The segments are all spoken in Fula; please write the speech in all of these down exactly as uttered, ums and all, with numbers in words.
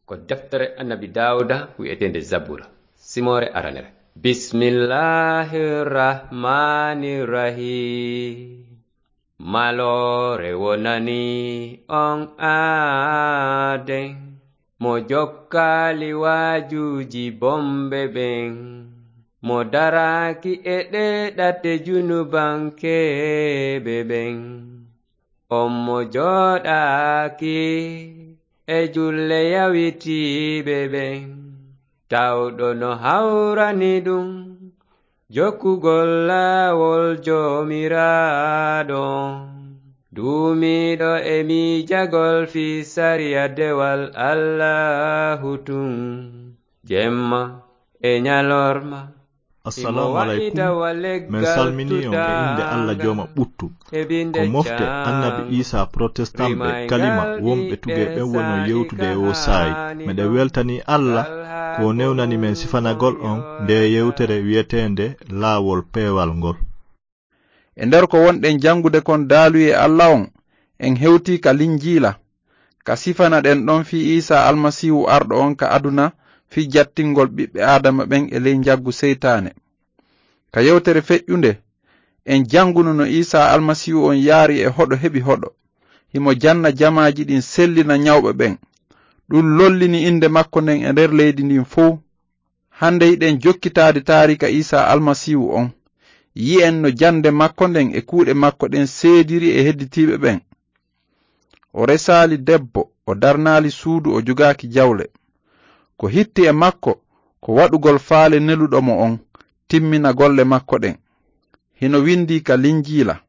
Ko deftere Annabi Daawuda wi'eteende Zabura, simoore aranere. Bismillahir Rahmanir Rahim. Maloore wonani on aaden, mo jokkaali waajuuji bonɓe ɓen, mo daraaki e ɗee ɗate junubankeeɓe ɓen. On mo jooɗaaki e julle yawitiiɓe ɓen, tawɗo no hawrani ɗum jokkugol laawol Joomiraaɗo on. Duumiiɗo e miijagol fii sariya dewal Allaahu tun, jemma e ñalorma. Assalamu alaikum. Men salmini on e innde Allah jooma ɓuttu. Ko mofte annabi Isa protestant ɓe kalima wonɓe tugee ɓen wono yewtude e o saa'i. Meɗen weltani Allah ko o newnani men sifanagol on nde yewtere wi'eteende laawol peewal ngol. E nder ko wonɗen janngude kon daaluyee Allah on, en hewtii ka Linjiila, ka sifanaɗen ɗon fii Iisaa Almasiihu arɗo on ka aduna fii jattingol ɓiɓɓe Aadama ɓen e ley njaggu seytaane. Ka yewtere feƴƴunde, en jannguno no Iisaa Almasiihu on yaari e hoɗo heɓi hoɗo, himo janna jamaaji ɗin sellina ñawɓe ɓen. Ɗun lollini innde makko nden e nder leydi ndin fow. Hannde hiɗen jokkitaade taariika Iisaa Almasiihu on. Yi'en no jannde makko nden e kuuɗe makko ɗen seediri e hedditiiɓe ɓen. O resaali debbo, o darnaali suudu, o jogaaki jawle. Ko hitti e makko, ko waɗugol faale neluɗo mo on, timmina golle makko ɗen. Hino windii ka Linjiila.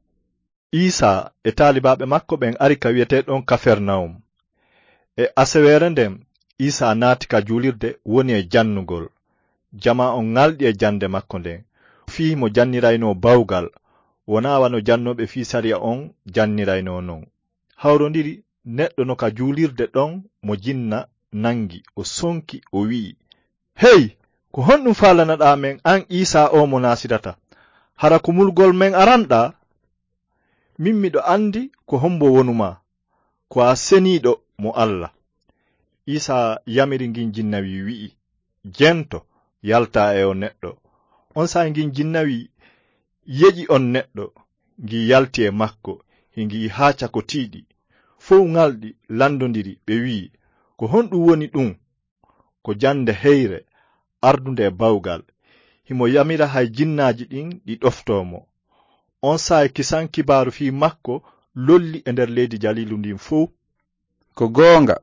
Iisaa e taalibaaɓe makko ɓen ari ka wi'etee ɗon Kafernawum. E aseweere nden, Iisaa naati ka juulirde, woni e jannugol. Jamaa on ŋalɗi e jannde makko nden, fii himo janniraynoo bawgal, wonaa wano jannooɓe fii sariya on janniraynoo non. Hawrondiri neɗɗo no ka juulirde ɗon mo jinna nangi, o sonki, o wi'i, "Hey, ko honɗun faalanaɗaa men an Iisaa oo mo Naasirata? Hara ko mulugol men aranɗaa? Min miɗo anndi ko hombo wonumaa, ko a seniiɗo mo Alla." Iisaa yamiri ngin jinnawi, wi'i, "Jento, yaltaa e o neɗɗo." On saa'i ngin jinnawi yeƴi on neɗɗo, ngi yalti e makko, hingi haaca ko tiiɗi. Fow ŋalɗi lanndondiri, ɓe wi'i, "Ko honɗun woni ɗun?" Ko jannde heyre, ardunde e bawgal. Himo yamira hay jinnaaji ɗin ɗi ɗoftoo mo. On saa'i kisan kibaaru fii makko lolli e nder leydi Jaliilu ndin fow. Ko goonga,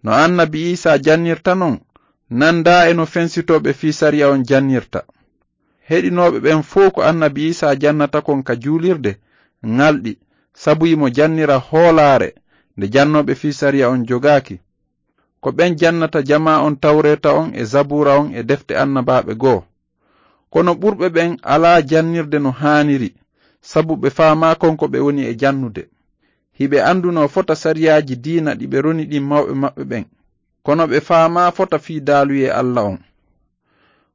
no annabi Iisaa jannirta non, nandaa e no fensitooɓe fii sariya on jannirta. Heɗinooɓe ɓen fow ko annabi Iisaa jannata kon ka juulirde, ŋalɗi, sabu himo jannira hoolaare nde jannooɓe fii sariya on jogaaki. Ko ɓen jannata jamaa on Tawreeta on e Zabuura on e defte annabaaɓe goo. Kono ɓurɓe ɓen alaa jannirde no haaniri, sabu ɓe faamaa kon ko ɓe woni e jannude. Hiɓe anndunoo fota sariyaaji diina ɗi ɓe roni ɗin mawɓe maɓɓe ɓen, kono ɓe faamaa fota fii daaluyee Alla on.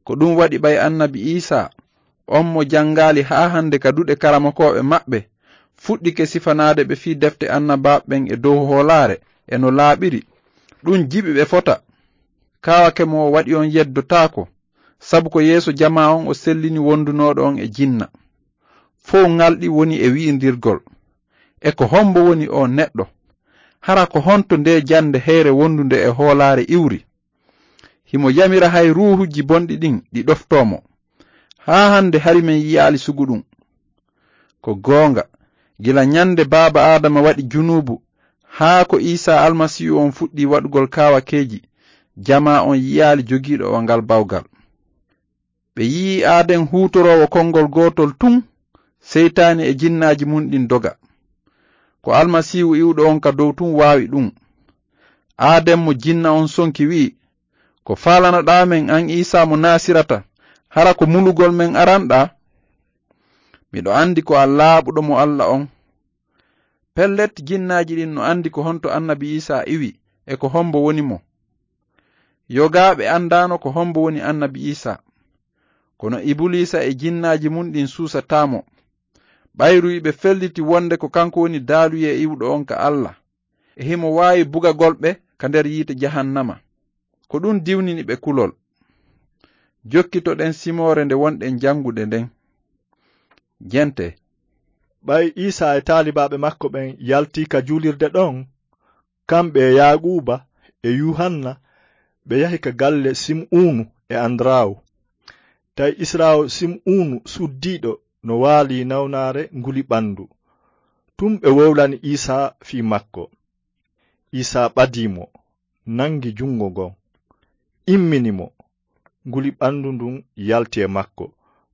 Ko ɗun waɗi ɓay annabi Iisaa, on mo janngaali haa hannde ka duɗe karamokooɓe maɓɓe, fuɗɗike sifanaade ɓe fii defte annabaaɓe ɓen e dow hoolaare e no laaɓiri, ɗun jiɓi ɓe fota. Kaawake mo o waɗi on yeddotaako, sabu ko yeeso jamaa on o sellini wondunooɗo on e jinna. Fow ŋalɗi woni e wi'indirgol, "E ko hombo woni oo neɗɗo? Hara ko honto ndee jannde heyre wondunde e hoolaare iwri? Himo yamira hay ruuhuuji bonɗi ɗin ɗi ɗoftoo mo. Haa hannde hari men yi'aali sugu ɗun." Ko goonga, gila ñande baaba Aadama waɗi junuubu, haa ko Iisaa Almasiihu on fuɗɗii waɗugol kaawakeeji, jamaa on yi'aali jogiiɗo o ngal bawgal. Ɓe yi'i aaden huutoroowo konngol gootol tun, seytaane e jinnaaji mun ɗin doga. Ko Almasiihu iwɗo on ka dow tun waawi ɗun. Aaden mo jinna on sonki wi'i, "Ko faalanaɗaa men an Iisaa mo Naasirata, hara ko mulugol men aranɗaa? Miɗo anndi ko a laaɓuɗo mo Alla on." Pellet, jinnaaji ɗin no anndi ko honto annabi Iisaa iwi e ko hombo woni mo. Yogaaɓe anndaano ko hombo woni annabi Iisaa. Kono Ibuliisa e jinnaaji mun ɗin suusataa mo. Ɓayru hiɓe felliti wonde ko kanko woni daaluyee iwɗo on ka Alla, e himo waawi bugagol ɓe ka nder yiite jahannama. Ko ɗum diwnini ɓe kulol. Jokkitoɗen simoore nde wonɗen janngude nden. Jente. Ɓay Iisaa e taalibaaɓe makko ɓen yaltii ka juulirde ɗon, kamɓe e Yaaquuba e Yuhanna, ɓe yahi ka galle Sim'uunu e Andaraawu. Tawi Israawu Sim'uunu suddiiɗo no waalii nawnaare nguli ɓandu. Tun ɓe wowlani Iisaa fii makko. Iisaa ɓadii mo, nangi jungo ngon, immini mo. Nguli ɓandu ndun yalti e makko.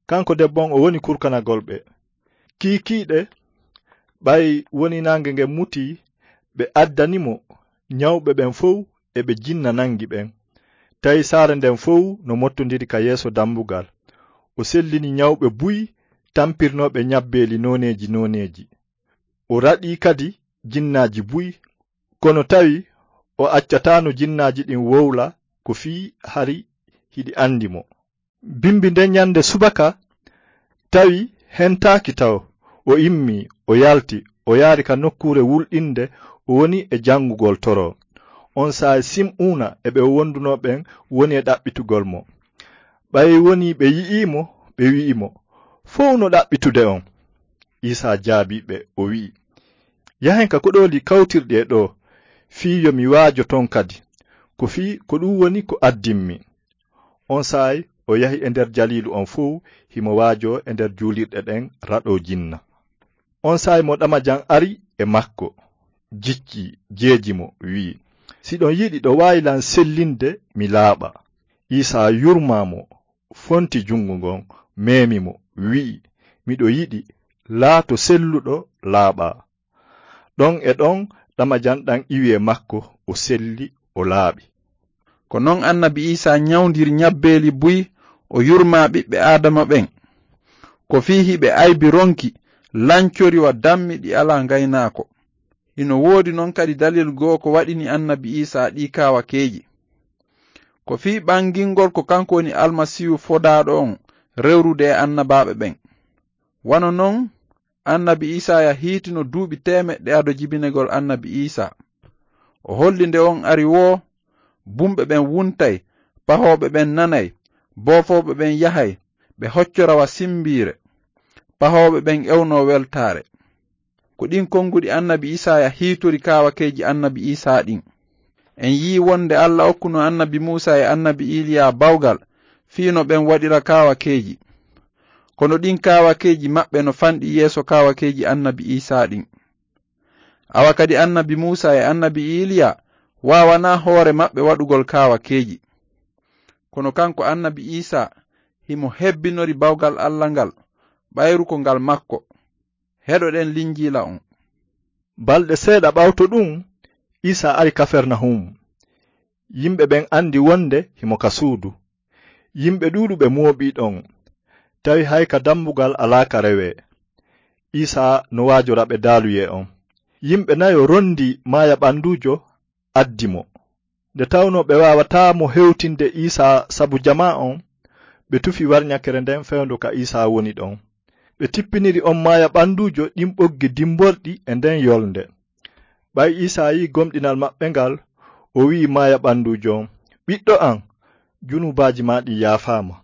Kanko debbo on, o woni kurkanagol ɓe. Kiikiiɗe, ɓay woni naange ngen mutii, ɓe addani mo ɲawɓe ɓen fow e ɓe jinna nangi ɓen. Tawi saare nden fow no mottondiri ka yeeso dambugal. O sellini ɲawɓe buy tampirnooɓe ɲabbeeli nooneeji nooneeji. O raɗii kadi jinnaaji buy, kono tawi o accataano jinnaaji ɗin wowla ko fii hari hiɗi andi mo. Bimbi nden ɲande subaka, tawi hentaaki taw, o immii, o yalti, o yaari ka nokkuure wulɗinde, o woni e janngugol toro. On saa'i Sim'uuna e ɓe o wondunoo ɓen woni e ɗaɓɓitugol mo. Ɓay wonii ɓe yi'ii mo, ɓe wi'i mo, "Fow no ɗaɓɓitude on." Iisaa jaabii ɓe, o wi'i, "Yahen ka koɗooli kawtirɗi e ɗoo, fii yo mi waajo ton kadi, ko fii ko ɗum woni ko addimmi." On saa'i o yahi e nder Jaliilu on fow, himo waajoo e nder juulirɗe ɗen raɗoo jinna. On saa'i mo ɗamajan ari e makko, jicci, jeeji mo, wi'i, "Si ɗon yiɗi ɗo waawi lan sellinde, mi laaɓa." Iisaa yurmaa mo, fonti jungo ngon, meemi mo, wi'i, "Miɗo yiɗi, laato selluɗo, laaɓaa." Ɗon e ɗon ɗamajan ɗan iwi e makko, o selli, o laaɓi. Ko non annabi Iisaa ɲawndiri ɲabbeeli buy, o yurmaa ɓiɓɓe Aadama ɓen. Ko fii hiɓe aybi ronki, lancori wa dammi ɗi alaa ngaynaako. Hino woodi non kadi dalil goo ko waɗini annabi Iisaa ɗii kaawakeeji. Ko fii ɓangingol ko kanko woni Almasiihu fodaaɗo on rewrude e annabaaɓe ɓen. Wano non, annabi Iisaaya hiitino duuɓi teemeɗɗe ado jibinegol annabi Iisaa. O holli nde on ari woo, bumɓe ɓen wuntay, pahooɓe ɓen nanay, boofooɓe ɓen yahay, ɓe hoccora wa simbiire. Pahooɓe ɓen ewnoo weltaare. Ko ɗin konguɗi annabi Iisaaya hiitori kaawakeeji annabi Iisaa ɗin. En yi'i wonde Alla okkuno annabi Muusaa e annabi Iiliyaa bawgal fii no ɓen waɗira kaawakeeji. Kono ɗin kaawakeeji maɓɓe no fanɗi yeeso kaawakeeji annabi Iisaa ɗin. Awa kadi annabi Muusaa e annabi Iiliyaa waawanaa hoore maɓɓe waɗugol kaawakeeji. Kono kanko annabi Iisaa himo hebbinori bawgal Alla ngal, ɓayru ko ngal makko. Heɗoɗen Linjiila on. Balɗe seeɗa ɓawto ɗun, Iisaa ari Kafernahum. Yimɓe ɓen andi wonde himo ka suudu. Yimɓe ɗuuɗuɓe mooɓii ɗon, tawi hay ka dambugal alaa ka rewee. Iisaa no waajora ɓe daaluyee on. Yimɓe nayo rondi maaya ɓanduujo, addi mo. Nde tawnoo ɓe waawataa mo hewtinde Iisaa sabu jamaa on, ɓe tufi warɲakere nden fewndo ka Iisaa woni ɗon. Ɓe tippiniri on maaya ɓanduujo ɗin ɓoggi dimborɗi e nden yolnde. Ɓay Iisaa yi'i gomɗinal maɓɓe ngal, o wi'i maaya ɓanduujo on, "Ɓiɗɗo an, junubaaji maa ɗin yaafaama."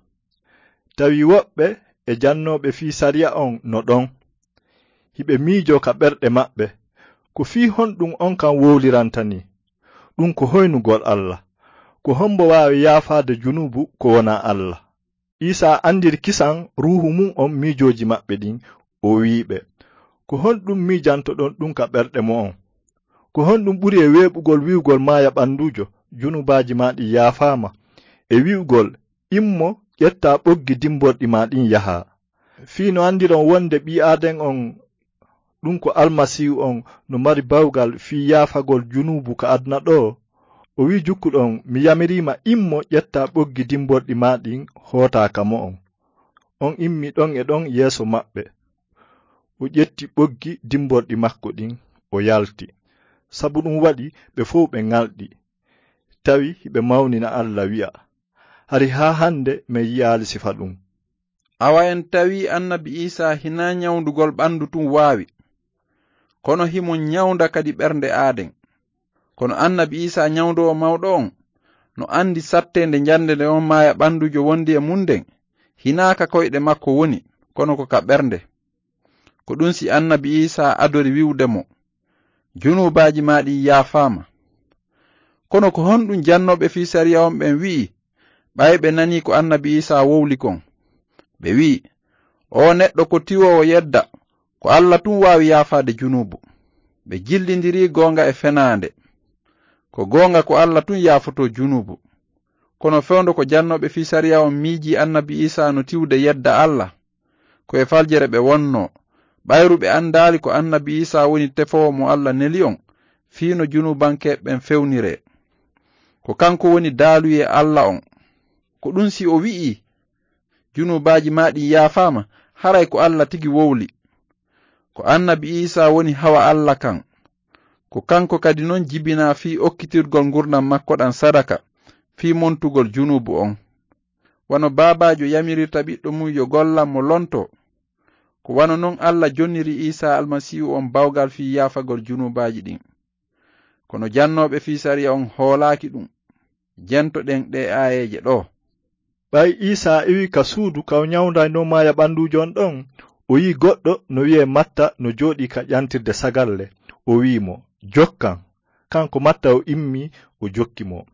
Tawi woɓɓe e jannooɓe fii sariya on no ɗon. Hiɓe miijoo ka ɓerɗe maɓɓe, "Ko fii honɗun on kan wowliranta nii? Ɗun ko hoynugol Alla. Ko hombo waawi yaafaade junuubu ko wonaa Alla?" Iisaa andiri kisan ruuhu mun on miijooji maɓɓe ɗin, o wi'i ɓe, "Ko honɗun miijantoɗon ɗun ka ɓerɗe mo'on? Ko honɗun ɓuri e weeɓugol wi'ugol maaya ɓanduujo, 'Junubaaji maa ɗin yaafaama,' e wi'ugol, 'Immo, ƴettaa ɓoggi dimborɗi maa ɗin yahaa'? Fii no andiron wonde ɓii Aaden on, ɗun ko Almasiihu on, no mari bawgal fii yaafagol junuubu ka aduna ɗoo." O wi'i jukkuɗo on, "Mi yamiriima, immo, ƴettaa ɓoggi dimborɗi maa ɗin, hootaa ka mo'on." On immi ɗon e ɗon yeeso maɓɓe. O ƴetti ɓoggi dimborɗi makko ɗin, o yalti. Sabu ɗun waɗi ɓe fow ɓe ŋalɗi. Tawi hiɓe mawnina Alla, wi'a, "Hari haa hande men yi'aali sifa ɗun." Awa en tawi annabi Iisaa hinaa ɲawndugol ɓandu tun waawi, kono himo ɲawnda kadi ɓernde aaden. Kono annabi Iisaa ɲawndoowo mawɗo on, no anndi satteende njannde nde on maaya ɓannduujo wondi e mum nden, hinaa ka koyɗe makko woni, kono ko ka ɓernde. Ko ɗum si annabi Iisaa adori wi'ude mo, "Junuubaaji maa ɗin yaafaama." Kono ko honɗum jannooɓe fii sariya on ɓen wi'i, ɓay ɓe nanii ko annabi Iisaa wowli kon? Ɓe wi'i, "Oo neɗɗo ko tiwoowo yedda, ko Alla tun waawi yaafaade junuubu." Ɓe jillindiri goonga e fenaande. Ko goonga ko Alla tun yaafotoo junuubu. Kono fewndo ko jannooɓe fii sariya on miijii annabi Iisaa no tiwde yedda Alla, ko e faljere ɓe wonnoo, ɓayru ɓe anndaali ko annabi Iisaa woni tefoowo mo Alla neli on, fii no junuubankeeɓe ɓen fewniree. Ko kanko woni daaluyee Alla on. Ko ɗum si o wi'ii, "Junuubaaji maa ɗin yaafaama," haray ko Alla tigi wowli. Ko annabi Iisaa woni hawa Alla kan. Ko kanko kadi non jibinaa fii okkitirgol ngurndan makko ɗan sadaka, fii montugol junuubu on. Wano baabaajo yamirirta ɓiɗɗo mum yo gollan mo lontoo, ko wano non Alla jonniri Iisaa Almasiihu on bawgal fii yaafagol junuubaaji ɗin. Kono jannooɓe fii sariya on hoolaaki ɗum. Jentoɗen ɗee aayeeje ɗoo. Ɓay Iisaa iwii ka suudu ka o ɲawndaynoo maaya ɓannduujo on ɗon, o yi'i goɗɗo no wi'ee Matta no jooɗii ka ƴantirde sagalle. O wi'i mo, "Jokkan." Kanko Matta o immii, o jokki mo.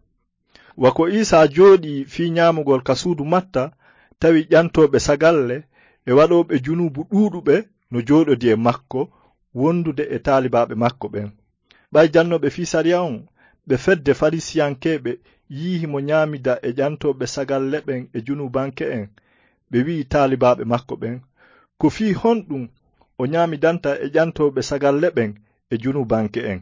Wa ko Iisaa jooɗii fii ɲaamugol ka suudu Matta, tawi ƴantooɓe sagalle e waɗooɓe junuubu ɗuuɗuɓe no jooɗodii e makko, wondude e taalibaaɓe makko ɓen. Ɓay jannooɓe fii sariya on, ɓe fedde Farisiyankeeɓe, yi'i himo ɲaamida e ƴantooɓe sagalle ɓen e junuubanke'en, ɓe wi'i taalibaaɓe makko ɓen, "Ko fii honɗum o ɲaamidanta e ƴantooɓe sagalle ɓen e junuubanke'en?"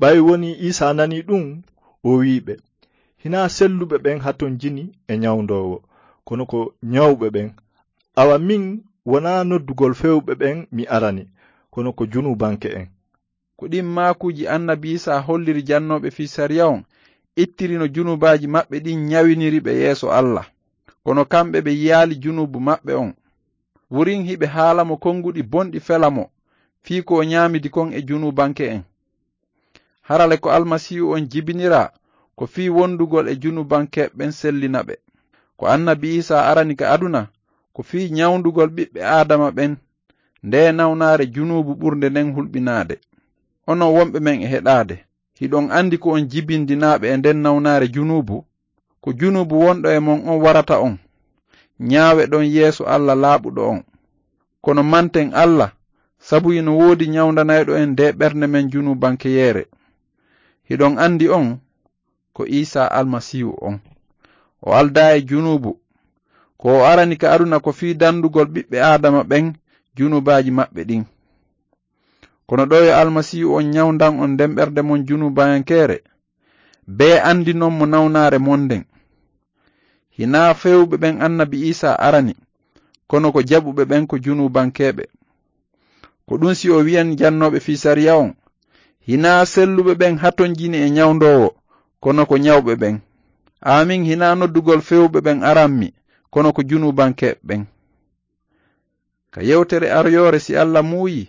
Ɓay wonii Iisaa nanii ɗum, o wi'i ɓe, "Hinaa selluɓe ɓen hatonjini e ɲawndoowo, kono ko ɲawɓe ɓen. Awa min, wonaa noddugol fewɓe ɓen mi arani, kono ko junuubanke'en." Ko ɗin maakuuji annabi Iisaa holliri jannooɓe fii sariya on ittiri no junuubaaji maɓɓe ɗin ɲawiniri ɓe yeeso Alla. Kono kamɓe ɓe yi'aali junuubu maɓɓe on. Wurin hiɓe haala mo konguɗi bonɗi fela mo fii ko o ɲaamidi kon e junuubanke'en. Hara le ko Almasiihu on jibiniraa ko fii wondugol e junuubankeeɓe ɓen sellina ɓe. Ko annabi Iisaa arani ka aduna ko fii ɲawndugol ɓiɓɓe Aadama ɓen ndee nawnaare junuubu ɓurnde nden hulɓinaade. Onon wonɓe men e heɗaade, hiɗon andi ko on jibindinaaɓe e nden nawnaare junuubu? Ko junuubu wonɗo e mon on warata on. Ɲaaweɗon yeeso Alla laaɓuɗo on. Kono manten Alla, sabu hino woodi ɲawndanayɗo en ndee ɓernde men junuubankeyeere. Hiɗon andi on ko Iisaa Almasiihu on. O aldaa e junuubu. Ko o arani ka aduna ko fii dandugol ɓiɓɓe Aadama ɓen junuubaaji maɓɓe ɗin. Kono ɗoo yo Almasiihu on ɲawndan on nden ɓernde mon junuubayankeere, bee andinon mo nawnaare mon nden. Hinaa fewɓe ɓen annabi Iisaa arani, kono ko jaɓuɓe ɓen ko junuubankeeɓe. Ko ɗum si o wi'an jannooɓe fii sariya on, "Hinaa selluɓe ɓen hatonjini e ɲawndoowo, kono ko ɲawɓe ɓen. Aamin hinaa noddugol fewɓe ɓen aranmi, kono ko junuubankeeɓe ɓen." Ka yewtere aroyoore, si Alla muuyi,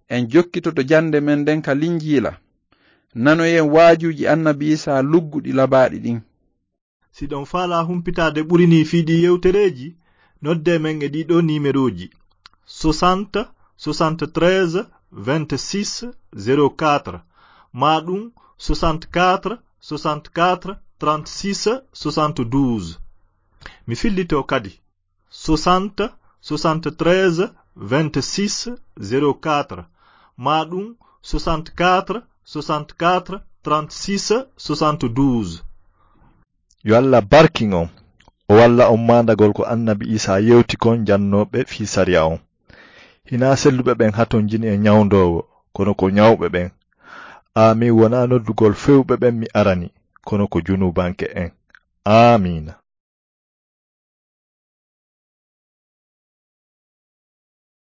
en jokkitoto jannde men nden ka Linjiila. Nanoyen waajuuji annabi Iisaa lugguɗi labaaɗi ɗin. Si ɗon faalaa humpitaade ɓuri nii fii ɗii yewtereeji, noddee men e ɗii ɗoo niimerooji: soixante, soixante-treize, vingt-six, zéro quatre, maa ɗum soixante-quatre, soixante-quatre, trente-six, soixante-douze. Mi fillitoo kadi, soixante, soixante-treize, vingt-six, zéro quatre, maa ɗum soixante-quatre, soixante-quatre, trente-six, soixante-douze. Yo Alla barkin on. O walla on maandagol ko annabi Iisaa yewti kon jannooɓe fii sariya on. Hinaa selluɓe ɓen hatonjini e ɲawndoowo, kono ko ɲawɓe ɓen. Aamin wonaa noddugol fewɓe ɓen mi arani, kono ko junuubanke'en. Aamiina.